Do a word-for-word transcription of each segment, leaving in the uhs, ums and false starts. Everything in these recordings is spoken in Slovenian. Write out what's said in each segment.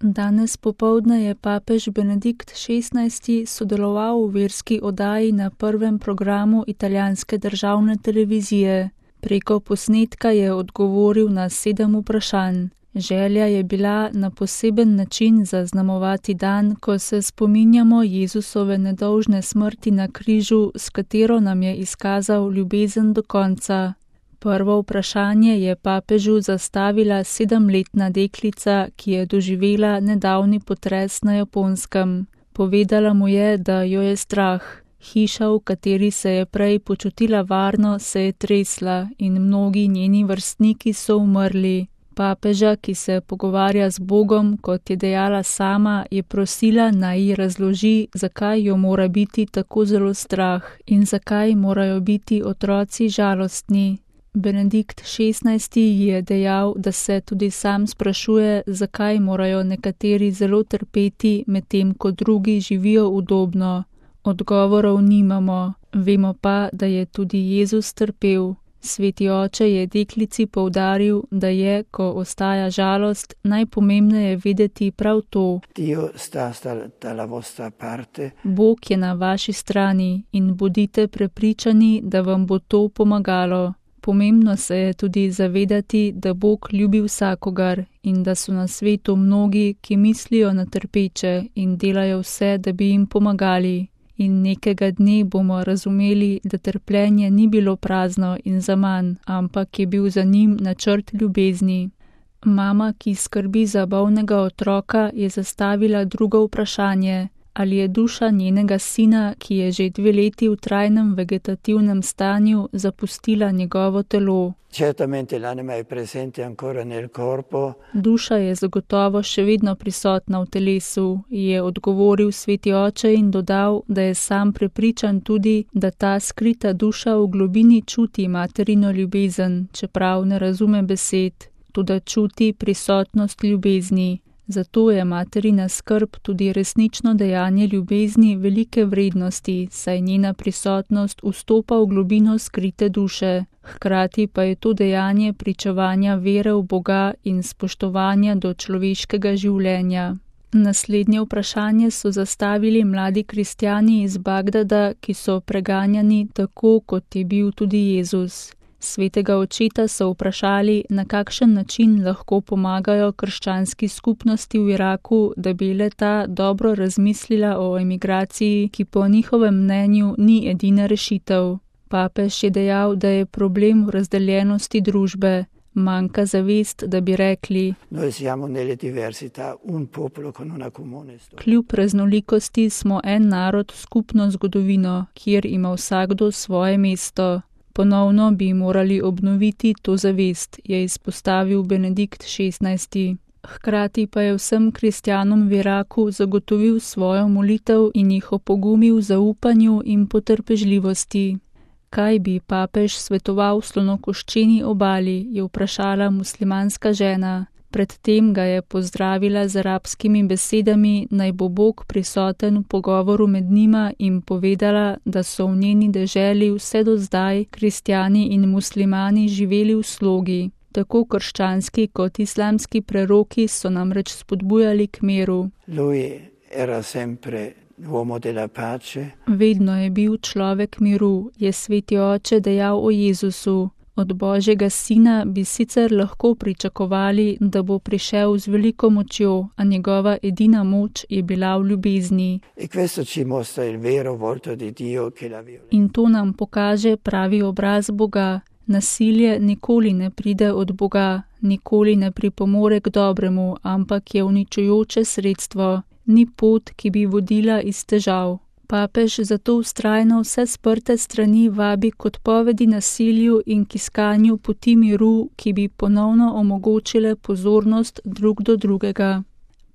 Danes popoldne je papež Benedikt šestnajsti sodeloval v verski oddaji na prvem programu italijanske državne televizije. Preko posnetka je odgovoril na sedem vprašanj. Želja je bila na poseben način zaznamovati dan, ko se spominjamo Jezusove nedolžne smrti na križu, s katero nam je izkazal ljubezen do konca. Prvo vprašanje je papežu zastavila sedemletna deklica, ki je doživela nedavni potres na Japonskem. Povedala mu je, da jo je strah. Hiša, v kateri se je prej počutila varno, se je tresla in mnogi njeni vrstniki so umrli. Papeža, ki se pogovarja z Bogom, kot je dejala sama, je prosila, naj ji razloži, zakaj jo mora biti tako zelo strah in zakaj morajo biti otroci žalostni. Benedikt šestnajsti je dejal, da se tudi sam sprašuje, zakaj morajo nekateri zelo trpeti, medtem ko drugi živijo udobno. Odgovorov nimamo, vemo pa, da je tudi Jezus trpel. Sveti oče je deklici poudaril, da je, ko ostaja žalost, najpomembneje vedeti prav to. Bog je na vaši strani in bodite prepričani, da vam bo to pomagalo. Pomembno se je tudi zavedati, da Bog ljubi vsakogar in da so na svetu mnogi, ki mislijo na trpeče in delajo vse, da bi jim pomagali. In nekega dne bomo razumeli, da trpljenje ni bilo prazno in zaman, ampak je bil za njim načrt ljubezni. Mama, ki skrbi za bolnega otroka, je zastavila drugo vprašanje. Ali je duša njenega sina, ki je že dve leti v trajnem vegetativnem stanju, zapustila njegovo telo? Duša je zagotovo še vedno prisotna v telesu, je odgovoril sveti oče in dodal, da je sam prepričan tudi, da ta skrita duša v globini čuti materino ljubezen, čeprav ne razume besed, toda čuti prisotnost ljubezni. Zato je materina skrb tudi resnično dejanje ljubezni velike vrednosti, saj njena prisotnost vstopa v globino skrite duše. Hkrati pa je to dejanje pričevanja vere v Boga in spoštovanja do človeškega življenja. Naslednje vprašanje so zastavili mladi kristjani iz Bagdada, ki so preganjani tako, kot je bil tudi Jezus. Svetega očeta so vprašali, na kakšen način lahko pomagajo krščanski skupnosti v Iraku, da bi le-ta dobro razmislila o emigraciji, ki po njihovem mnenju ni edina rešitev. Papež je dejal, da je problem v razdeljenosti družbe. Manjka zavest, da bi rekli: kljub raznolikosti smo en narod, skupno zgodovino, kjer ima vsakdo svoje mesto. Ponovno bi morali obnoviti to zavest, je izpostavil Benedikt šestnajsti. Hkrati pa je vsem kristjanom v Iraku zagotovil svojo molitev in jih opogumil v zaupanju in potrpežljivosti. Kaj bi papež svetoval slonokoščeni obali, je vprašala muslimanska žena. Predtem ga je pozdravila z arabskimi besedami, naj bo Bog prisoten v pogovoru med njima, in povedala, da so v njeni deželi vse do zdaj kristjani in muslimani živeli v slogi. Tako krščanski kot islamski preroki so namreč spodbujali k miru. Vedno je bil človek miru, je sveti oče dejal o Jezusu. Od Božjega sina bi sicer lahko pričakovali, da bo prišel z veliko močjo, a njegova edina moč je bila v ljubezni. In to nam pokaže pravi obraz Boga. Nasilje nikoli ne pride od Boga, nikoli ne pripomore k dobremu, ampak je uničujoče sredstvo. Ni pot, ki bi vodila iz težav. Papež zato vztrajno vse sprte strani vabi k odpovedi nasilju in k iskanju poti miru, ki bi ponovno omogočile pozornost drug do drugega.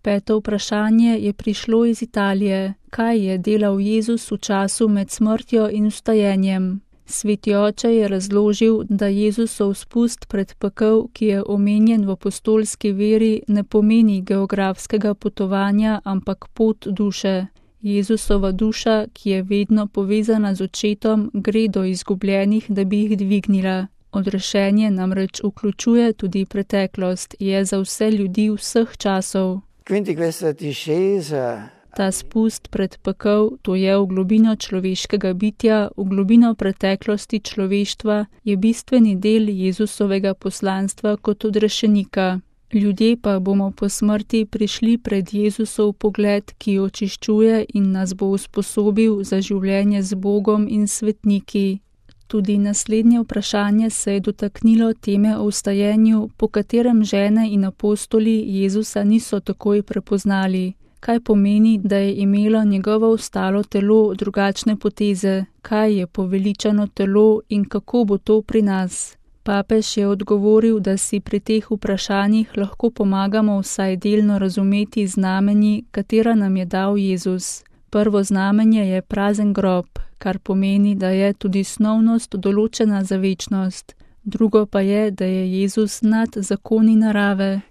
Peto vprašanje je prišlo iz Italije. Kaj je delal Jezus v času med smrtjo in vstajenjem? Sveti oče je razložil, da Jezusov spust pred pekel, ki je omenjen v apostolski veri, ne pomeni geografskega potovanja, ampak pot duše. Jezusova duša, ki je vedno povezana z očetom, gre do izgubljenih, da bi jih dvignila. Odrešenje namreč vključuje tudi preteklost, je za vse ljudi vseh časov. Quindi questa discesa Ta spust pred pekel, to je v globino človeškega bitja, v globino preteklosti človeštva, je bistveni del Jezusovega poslanstva kot odrešenika. Ljudje pa bomo po smrti prišli pred Jezusov pogled, ki očiščuje in nas bo usposobil za življenje z Bogom in svetniki. Tudi naslednje vprašanje se je dotaknilo teme o vstajenju, po katerem žene in apostoli Jezusa niso takoj prepoznali. Kaj pomeni, da je imelo njegovo ostalo telo drugačne poteze, kaj je poveličano telo in kako bo to pri nas? Papež je odgovoril, da si pri teh vprašanjih lahko pomagamo vsaj delno razumeti znamenji, katera nam je dal Jezus. Prvo znamenje je prazen grob, kar pomeni, da je tudi snovnost določena za večnost. Drugo pa je, da je Jezus nad zakoni narave.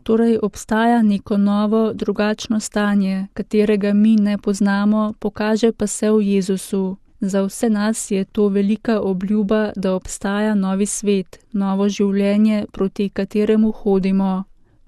Torej obstaja neko novo, drugačno stanje, katerega mi ne poznamo, pokaže pa se v Jezusu. Za vse nas je to velika obljuba, da obstaja novi svet, novo življenje, proti kateremu hodimo.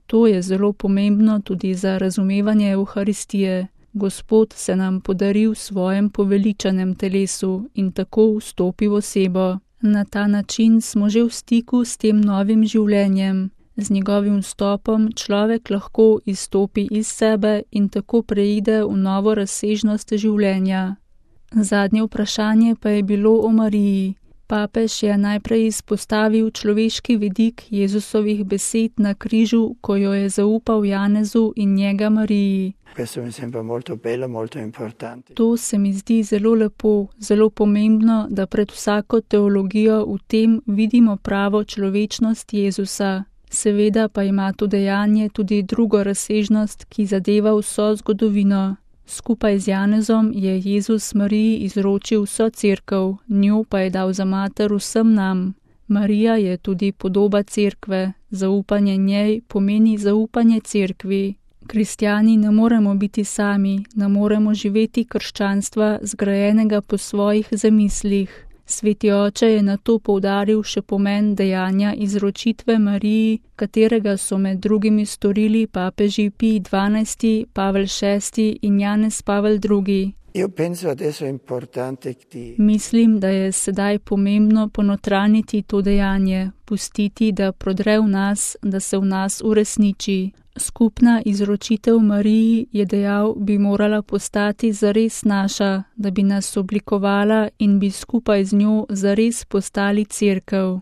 To je zelo pomembno tudi za razumevanje Evharistije. Gospod se nam podari v svojem poveličanem telesu in tako vstopi v osebo. Na ta način smo že v stiku s tem novim življenjem. Z njegovim vstopom človek lahko izstopi iz sebe in tako preide v novo razsežnost življenja. Zadnje vprašanje pa je bilo o Mariji. Papež je najprej izpostavil človeški vidik Jezusovih besed na križu, ko jo je zaupal Janezu in njega Mariji. To se mi zdi zelo lepo, zelo pomembno, da pred vsako teologijo v tem vidimo pravo človečnost Jezusa. Seveda pa ima to dejanje tudi drugo razsežnost, ki zadeva vso zgodovino. Skupaj z Janezom je Jezus Mariji izročil vso cerkev, njo pa je dal za mater vsem nam. Marija je tudi podoba cerkve, zaupanje njej pomeni zaupanje cerkvi. Kristjani ne moremo biti sami, ne moremo živeti krščanstva zgrajenega po svojih zamislih. Sveti oče je na to poudaril še pomen dejanja izročitve Mariji, katerega so med drugimi storili papeži Pij dvanajsti, Pavel šesti in Janez Pavel drugi. Mislim, da je sedaj pomembno ponotraniti to dejanje, pustiti, da prodre v nas, da se v nas uresniči. Skupna izročitev Mariji, je dejal, bi morala postati zares naša, da bi nas oblikovala in bi skupaj z njo zares postali cerkev.